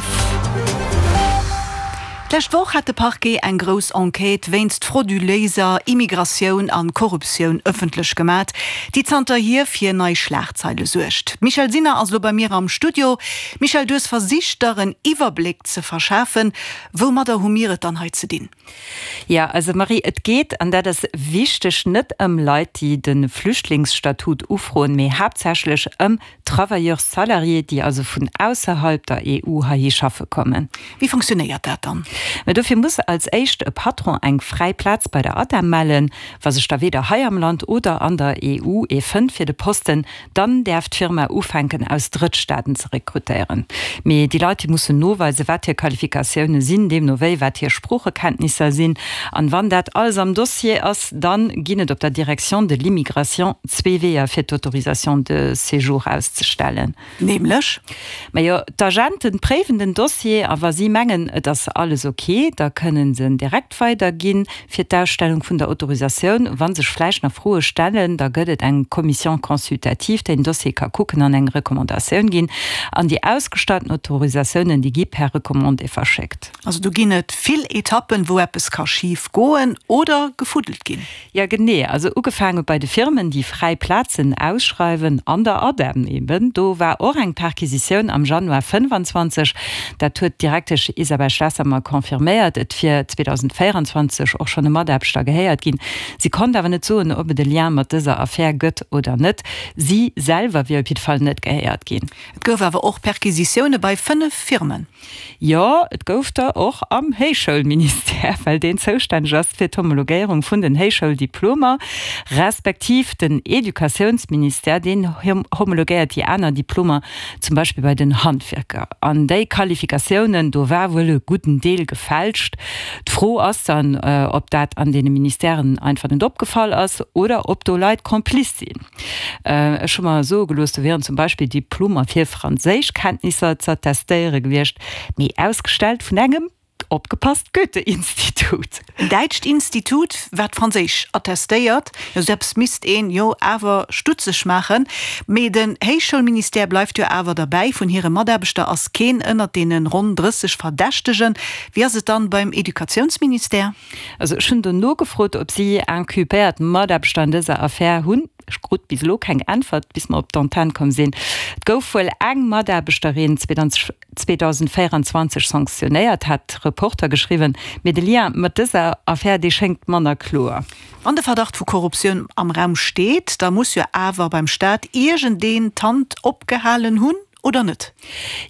11. D'lescht Woch hat de Parquet eng grouss Enquête wéinst frauduléiser Immigratioun an Korruptioun ëffentlech gemat, déi zanterhier fir nei Schlagzeile suergt. D'Michèle Sinner ass elo bei mir am Studio. Michèle, du hues versicht der en Iwwerbléck ze verschafen. Woumadder hu mir et dann hei ze dinn? Jo, also Marie, et geet, an dat ass wichteg, net ëm Leit, déi de Flüchtlingsstatut ufroen, mee haaptsächlech ëm Travailleurs salariés, déi also vun ausserhalb der EU heihi schaffe kommen. Wéi fonctionnéiert dat dann? Mä dofir muss als éischt e Patron eng fräi Plaz bei der ADEM mellen. Wa sech da weder hei am Land oder an der EU ee fënnt fir de Posten, Dann däerf d'Firma ufänken aus Drëttstaaten ze rekrutéieren. Mee déi Leit, déi mussen noweisen, wat hir Qualifikatioune sinn, deemno wéi wat hir Sproochekenntnisser sinn. An wann dat alles am Dossier ass, dann ginn et op der Direction de l'immigration zwee Weeër fir d'Autorisation de séjour auszestellen. Nämlech? Majo, d'Agenten préiwen den Dossier a wa si mengen, et ass alles ok, da kënnen se en direkt weiderginn fir d'Ausstellung vun der Autorisatioun. Wa sech vläicht nach Froe stellen, da gëtt et eng Commission consultative, déi den Dossier ka kucken an eng Recommandatioun ginn. An déi ausgestallten Autorisatiounen, déi gi per Recommandé verschéckt. Also do ginn et vill Etappen, wou eppes ka schif goen oder gefuddelt ginn. Jo, genee. Also ugefaange bei de Firmen, déi fräi Plazen ausschreiwen, an der ADEM eben. Do war och eng Perquisitioun am Januar 25. Dat huet d'Direktesch Isabelle Schlesser mer confirméiert. Et wier 2024 och schonn e Mataarbechter gehéiert ginn. Si konnt awer net soen, ob et e Lien mat dëser Affär gëtt oder net. Si selwer wier op jidde Fall net gehéiert ginn. Et gouf awer och Perquisitioune bei 5 Firmen. Jo, et gouf der och am Héichschoulministère, well deen zoustänneg ass fir d'Homologéierung vun den Héichschouldiplomer, respektiv den Educatiounsministère, deen homologéiert déi aner Diplomer, zum Beispill bei den Handwierker. An déi Qualifikatiounen, do war wuel e gudden Deel gefälscht. D'Fro ass dann, ob dat an deene Ministèren einfach net opgefall ass oder ob do Leit complice sinn. Ech hu mer soe gelooss, do wieren zum Beispill Diplomer fir Franséischkenntnisser z'attestéiere gewiescht, mee ausgestellt vun engem, opgepasst, Goethe-Institut. En däitscht Institut, wat Franséisch attestéiert. Jo, sou eppes misst een jo awer stutzeg maachen. Mee den Héichschoulministère bleift jo awer derbäi, vun hire Mataarbechter ass keen ënnert deene ronn 30 Verdächtegen. Wéi ass et dann beim Educatiounsministère? Also ech hunn do nogefrot, ob si inculpéiert Mataarbechter an dëser Affär hunn. Ech krut bis elo keng Äntwert, bis mer op d'Antenn komm sinn. Et gouf wuel eng Mataarbechterin 2024 sanktionéiert, hat Reporter geschriwwen. Mee de Lien mat dëser Affär, dee schéngt manner kloer. Wann de Verdacht vu Korruptioun am Raum steet, da muss jo awer beim Staat iergendeen d'Hand opgehalen hunn? Oder net?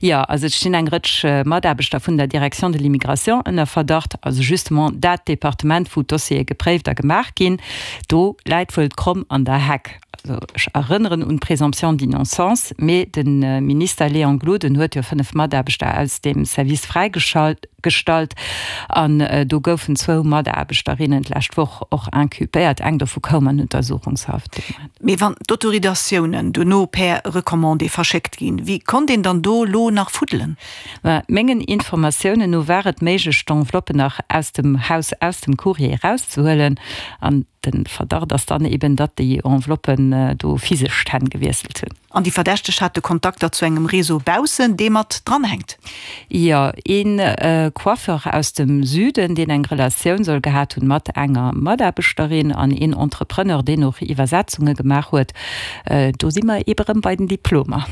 Jo, also et stinn eng Rëtsch Mataarbechter vun der Direction de l'immigration ënner Verdacht, also justement dat Departement, wou d'Dossiere gepréift a gemaach ginn. Do läit wuel d'Kromm an der Heck. Also ech erënneren un d'Présomption d'innocence, mee de Minister Léon Gloden huet jo 5 Mataarbechter aus deem Service fräigeschalt. Gestallt an do goufen zwou Mataarbechterinnen d'lescht Woch och inculpéiert, eng dovu koum an Untersuchungshaft. Mee wann d'Autoridatiounen dono per Recommandé verschéckt ginn, wéi konnt een dann do lo nach fuddelen? Ma mengen Informatiounen no war et méiglech d'Enveloppe nach aus dem Haus, aus dem Courrier erauszehuelen an de Verdacht ass dann eben, datt déi Enveloppen do physesch d'Hänn gewiesselt hunn. An déi Verdächteg hate Kontakter zu engem Réseau baussen, dee mat dranhänkt. Jo, ee Coiffeur aus dem Süden, deen eng Relatioun soll gehat hunn mat enger Mataarbechterin, an een Entrepreneur, deen och Iwwersetzunge gemaach huet. Do si mer eebe rëm bei den Diplomer.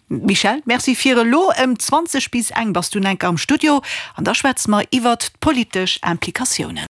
Michèle, Merci fir elo. Ëm 20 bis eng bass du enker am Studio an da schwätze mer iwwert d'politesch Implikatiounen.